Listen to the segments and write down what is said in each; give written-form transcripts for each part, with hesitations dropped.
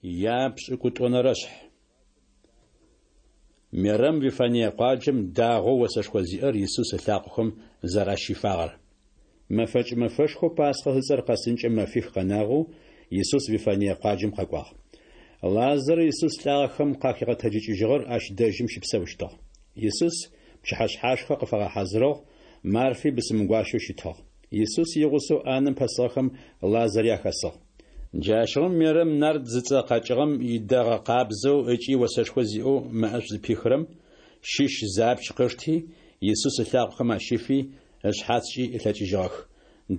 Япшӏыкӏутӏонэрэшъхь. Мерэм Вифание къуаджэм дагъоу осэшхо зиӏэр Исус ылъакъохэм зэращифагъэр. Мэфэкӏ мэфэшхоу Пасхъэ зыцӏэр къэсынкӏэ мэфих къэнагъэу, Исус Вифание къуаджэм къэкӏуагъ. Лазарэу Исус лӏагъэхэм къахигъэтэджыкӏыжьыгъэр ащ дэжьым щыпсэущтыгъ. Исус пчыхьэшъхьашхэ къыфагъэхьазырыгъ, Марфи бысымгуащэу щытыгъ. Исус игъусэу ӏанэм пэсыгъэхэм Лазари ахэсыгъ. Джащыгъум Мерэм нард зыцӏэ къэкӏыгъэм идэгъэ къабзэу ыкӏи осэшхо зиӏэу мэӏэшӏу зыпихырэм щыщ зы апч къышти, Исус ылъакъохэм ащифи, ышъхьацкӏи ылъэкӏыжьыгъэх.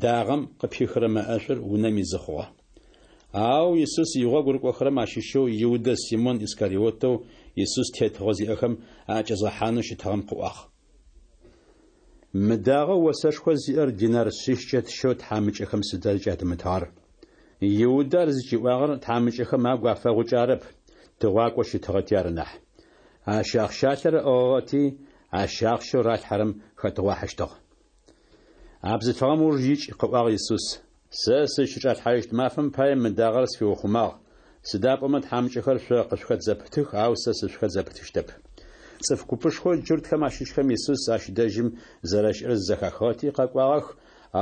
Дагъэм къыпихырэ мэӏэшӏур унэм изы хъугъэ. Ау Исус игъогу рыкӏохэрэм ащыщэу Иудэ Симон Искариотэу Исус тетыгъо зиӏэхэм аӏэкӏэзгъэхьанэу щытыгъэм къыӏуагъ. Мы дагъэу осэшхо зиӏэр динар шъищкӏэ тщэу тхьамыкӏэхэм сыда зыкӏятымытыгъэр? Иудэ ар зыкӏиӏуагъэр тхьамыкӏэхэм агу афэгъукӏэ арэп, тыгъуакӏоу щытыгъэти ары нахь. Ащ ахъщалъэр ыӏыгъыгъэти, ащ ахъщэу ралъхьэрэм хэтыгъуахьыщтыгъ. А бзылъфыгъэм ыуж икӏ, къыӏуагъ Исус. Сэ сызщычӏалъхьажьыщт мафэм пае мы дагъэр сфиухъумагъ, сыда пӏомэ тхьамыкӏэхэр шъо къышъухэт зэпытых, ау сэ сышъухэт зэпытыщтэп. Цӏыф купышхоу джуртхэм ащыщхэм Исус ащ дэжьым зэрэщыӏэр зэхахыгъэти къэкӏуагъэх,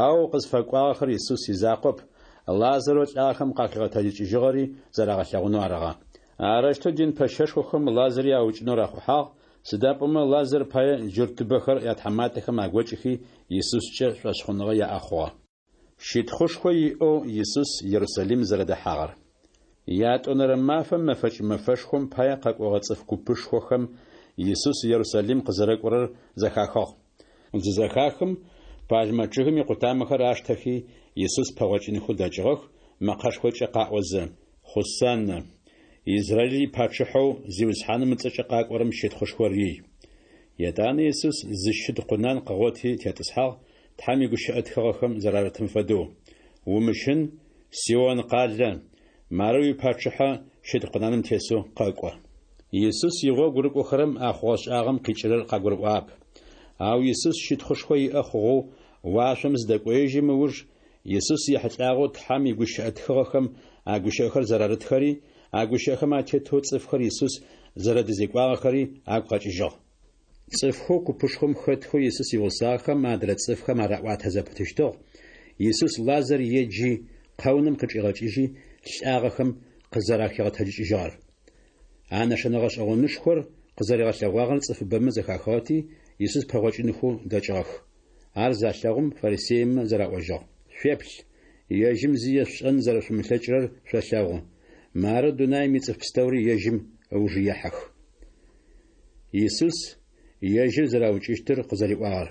ау къызфэкӏуагъэхэр Исус изакъоп, Лазарэу лӏагъэхэм къахигъэтэджыкӏыжьыгъэри зэрагъэлъэгъунэу арыгъэ. Арэущтэу дин пэщэшхохэм Лазари аукӏынэу рахъухьагъ, сыда пӏомэ Лазар пае джуртыбэхэр ятхьаматэхэм агокӏыхи Исускӏэ шӏошъхъуныгъэ яӏэ хъугъэ. Щытхъушхо иӏэу Исус Ерусалим зэрэдэхьагъэр. Ятӏонэрэ мафэм мэфэкӏ мэфэшхом пае къэкӏогъэ цӏыф купышхохэм Исус Ерусалим къызэрэкӏорэр зэхахыгъ. Зызэхахым, пальмэ чъыгым икъутамэхэр аштэхи, Исус пэгъокӏынхэу дэкӏыгъэх, мэкъэшхокӏэ къаӏозэ, Хъусаннэ! Израил ипачъыхьэу Зиусхьаным ыцӏэкӏэ къакӏорэм щытхъушхор ий! Етӏанэ Исус зы щыд къунан къыгъоти тетӏысхьагъ, Тхьэм игущыӏэ тхыгъэхэм зэрарытым фэдэу, Умыщын, Сион къалэ, мары уипачъыхьэ щыд къунаным тесэу къэкӏо. Исус игъогу рыкӏохэрэм а хъугъэ-шӏагъэм къикӏырэр къагурыӏуагъэп. Ау Исус щытхъушхо иӏэ хъугъэу уашъом зыдэкӏоежьым ыуж, Исус ехьылӏагъэу Тхьэм игущыӏэ тхыгъэхэм а гущыӏэхэр зэрарытхэри, а гущыӏэхэм атетэу цӏыфхэр Исус зэрэдэзекӏуагъэхэри агу къэкӏыжьыгъ. Цӏыфхэу купышхом хэтхэу Исус игъусагъэхэм адрэ цӏыфхэм араӏуатэ зэпытыщтыгъ, Исус Лазар еджи, къэунэм къычӏигъэкӏыжьи, лӏагъэхэм къызэрахигъэтэджыкӏыжьыгъэр. А нэшэнэ гъэшӏэгъонышхор къызэригъэлъэгъуагъэр цӏыфыбэмэ зэхахыгъэти, Исус пэгъокӏынхэу дэкӏыгъэх. Ар залъэгъум, фарисеймэ зэраӏожьыгъ, Шъуеплъ, ежьым зи ешъушӏэн зэрэшъумылъэкӏырэр шъолъэгъу. Мары дунаим ицӏыф пстэури ежьым ыуж ехьэх. Исус ежьыр зэраукӏыщтыр къызэриӏуагъэр.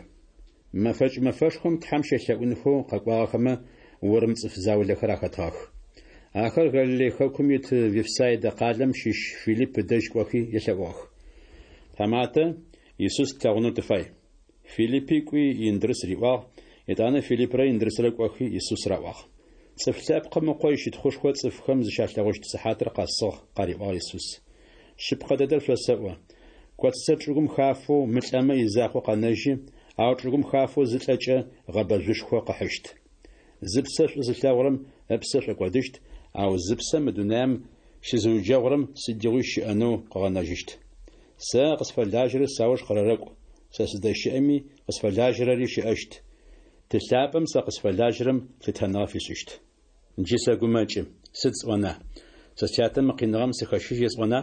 Мэфэкӏ мэфэшхом Тхьэм щелъэӏунхэу къэкӏуагъэхэмэ урым цӏыф заулэхэр ахэтыгъэх. Ахэр Галилей хэкум ит Вифсайдэ къалэм щыщ Филипп ыдэжь кӏохи елъэӏугъэх. Тхьаматэ, Исус тлъэгъунэу тыфай. Филиппи кӏуи Индрыс риӏуагъ, етӏанэ Филиппрэ Индрысрэ кӏохи Исус раӏуагъ. Цӏыф Лъэпкъым Ыкъо ищытхъушхо цӏыфхэм зыщалъэгъущт сыхьатыр къэсыгъ, къариӏуагъ Исус. Шъыпкъэ дэдэр шъосэӏо, коцыцэр чӏыгум хафэу мылӏэмэ изакъоу къэнэжьы, ау чӏыгум хафэу зылӏэкӏэ гъэбэжъушхо къыхьыщт. Зыпсэ шӏу зылъэгъурэм ыпсэ шӏокӏодыщт, ау зыпсэ мы дунаим щызыуджэгъурэм сыдигъуи щыӏэнэу къыгъэнэжьыщт. Сэ къысфэлажьэрэр сауж къырэрэкӏу, сэ сыздэщыӏэми къысфэлажьэрэри щыӏэщт. Ты лъапӏэм сэ къысфэлажьэрэм лъытэныгъэ фишӏыщт. Джы сэгумэкӏы, сыд сӏона? Сэ Сятэ мы къиныгъэм сыхэщыжь есӏона?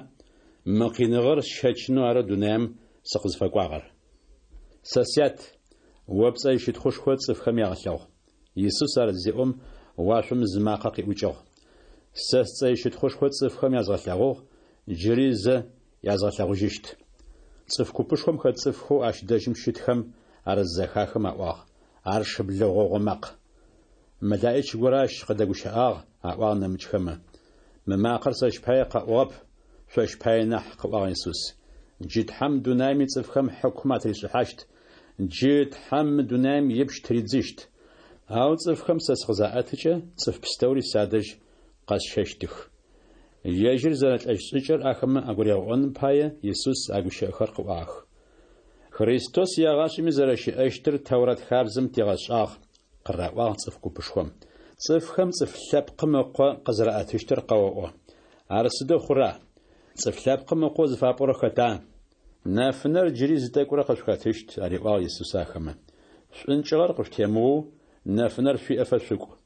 Мы къиныгъэр сщэчынэу ары дунаим сыкъызфэкӏуагъэр. Сэ Сят, о пцӏэ ищытхъушхо цӏыфхэм ягъэлъэгъу. Исус ар зеӏом, уашъом зы макъэ къиӏукӏыгъ. Сэ сцӏэ ищытхъушхо цӏыфхэм язгъэлъэгъугъ, джыри зэ язгъэлъэгъужьыщт. Цӏыф купышхом хэт цӏыфхэу ащ дэжьым щытхэм ар зызэхахым аӏуагъ, Ар шыблэ гъогъо макъ. Мэлаӏич горэ ащ къыдэгущыӏагъ, аӏуагъ нэмыкӏхэмэ. Мы макъэр сэщ пае къэӏугъэп, шъощ пае нахь, къыӏуагъ Исус. Джы Тхьэм дунаим ицӏыфхэм хьыкум атыришӏыхьащт, джы Тхьэм мы дунаим ипщ тыридзыщт. Ау цӏыфхэм сэ сыкъызаӏэтыкӏэ, цӏыф пстэури садэжь къэсщэщтых. Ежьыр зэрэлӏэщт шӏыкӏэр ахэмэ агуригъэӏоным пае Исус а гущыӏэхэр къыӏуагъэх. Христос егъашӏэми зэрэщыӏэщтыр Тэурат хабзэм тигъэшӏагъ, къыраӏуагъ цӏыф купышхом. Цӏыфхэм Цӏыф Лъэпкъым Ыкъо къызэраӏэтыщтыр къэоӏо. Ар сыдэу хъура? Цӏыф Лъэпкъым Ыкъоу зыфапӏорэр хэта? Нэфынэр джыри зы тӏэкӏурэ къышъухэтыщт, ариӏуагъ Исус ахэмэ. Шӏункӏыгъэр къышъутемыоу, нэфынэр шъуиӏэфэ шъукӏу.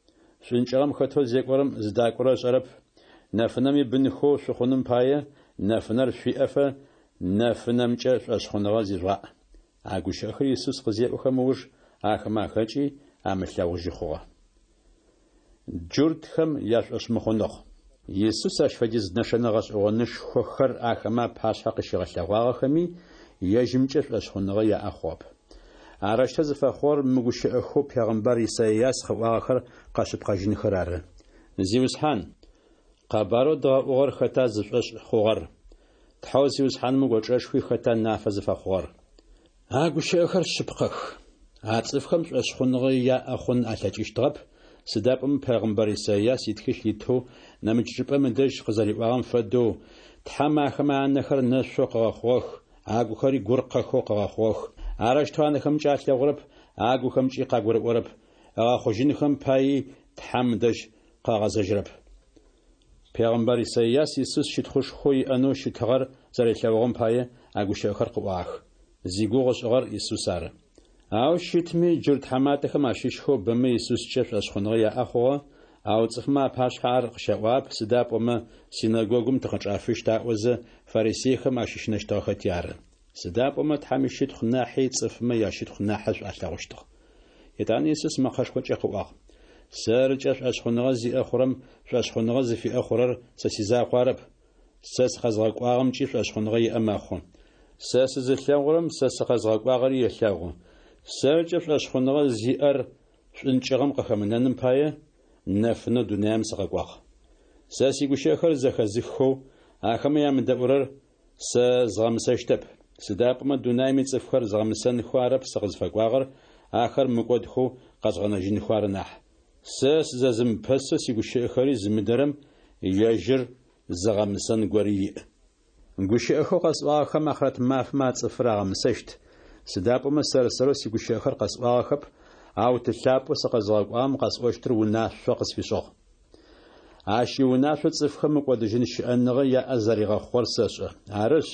Шӏункӏыгъэм хэтэу зекӏорэм зыдакӏорэр ышӏэрэп. Нэфынэм ибынхэу шъухъуным пае, нэфынэр шъуиӏэфэ, нэфынэмкӏэ шӏошъхъуныгъэ зижъугъаӏ. А гущыӏэхэр Исус къызеӏохэм ыуж, ахэмэ ахэкӏи, амылъэгъужьы хъугъэ. Джуртхэм яшӏошъмыхъуныгъ. Исус ащ фэдиз нэшэнэ гъэшӏэгъонышхохэр ахэмэ апашъхьэ къыщигъэлъэгъуагъэхэми, ежьымкӏэ шӏошъхъуныгъэ яӏэ хъугъэп. Арэущтэу зыфэхъугъэр мы гущыӏэхэу пегъымбар Исайас къыӏуагъэхэр къэшъыпкъэжьынхэр ары. Зиусхьан, къэбарэу дгъэӏугъэр хэта зышӏошъ хъугъэр? Тхьэу Зиусхьаным ыкӏочӏэшхуи хэта нафэ зыфэхъугъэр? А гущыӏэхэр шъыпкъэх. А цӏыфхэм шӏошъхъуныгъэ яӏэ хъун алъэкӏыщтыгъэп, сыда пӏомэ пегъымбар Исайас итхылъ итэу нэмыкӏ чӏыпӏэм ыдэжь къызэриӏуагъэм фэдэу, Тхьэм ахэмэ анэхэр нэшъоу къыгъэхъугъэх, агухэри гуркъэхэу къыгъэхъугъэх. Арэущтэу анэхэмкӏэ алъэгъурэп, агухэмкӏи къагурыӏорэп, ыгъэхъужьынхэм паий Тхьэм ыдэжь къагъэзэжьырэп. Пегъымбар Исайас Исус щытхъушхоу иӏэнэу щытыгъэр зэрилъэгъугъэм пае а гущыӏэхэр къыӏуагъэх. Зигугъу ышӏыгъэр Исус ары. Ау щытми, джурт тхьаматэхэм ащыщхэу бэмэ Исускӏэ шӏошъхъуныгъэ яӏэ хъугъэ, ау цӏыфмэ апашъхьэ ар къыщаӏуагъэп, сыда пӏомэ синэгогум тыкъычӏафыщт аӏозэ, фарисейхэм ащыщынэщтыгъэхэти ары. Сыда пӏомэ Тхьэм ищытхъу нахьи цӏыфмэ ящытхъу нахьышӏу алъэгъущтыгъ. Етӏанэ Исус мэкъэшхокӏэ къыӏуагъ, Сэркӏэ шӏошъхъуныгъэ зиӏэ хъурэм шӏошъхъуныгъэ зыфиӏэ хъурэр сэ сизакъу арэп, сэ сыкъэзгъэкӏуагъэмкӏи шӏошъхъуныгъэ иӏэ мэхъу. Сэ сызылъэгъурэм сэ сыкъэзгъэкӏуагъэри елъэгъу. Сэркӏэ шӏошъхъуныгъэ зиӏэр шӏункӏыгъэм къыхэмынэным пае, нэфынэу дунаим сыкъэкӏуагъ. Сэ сигущыӏэхэр зэхэзыххэу, ахэмэ ямыдэӏурэр сэ згъэмысэщтэп, сыда пӏомэ дунаим ицӏыфхэр згъэмысэнхэу арэп сыкъызфэкӏуагъэр, ахэр мыкӏодхэу къэзгъэнэжьынхэу ары нахь. Сэ сызэзымыпэсэу сигущыӏэхэри зымыдэрэм ежьыр зыгъэмысэн гори иӏ. Гущыӏэхэу къэсӏуагъэхэм ахърэт мафэм а цӏыфыр агъэмысэщт, сыда пӏомэ сэр-сэрэу сигущыӏэхэр къэсӏуагъэхэп, ау Ты лъапӏэу сыкъэзыгъэкӏуагъэм къэсӏощтыр унашъо къысфишӏыгъ. Ащ иунашъо цӏыфхэм мыкӏодыжьын щыӏэныгъэ яӏэ зэригъэхъугъэр сэшӏэ. Арышъ,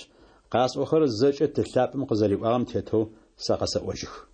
къасӏохэрэр зэкӏэ Ты лъапӏэм къызэриӏуагъэм тетэу сэ къэсэӏожьых.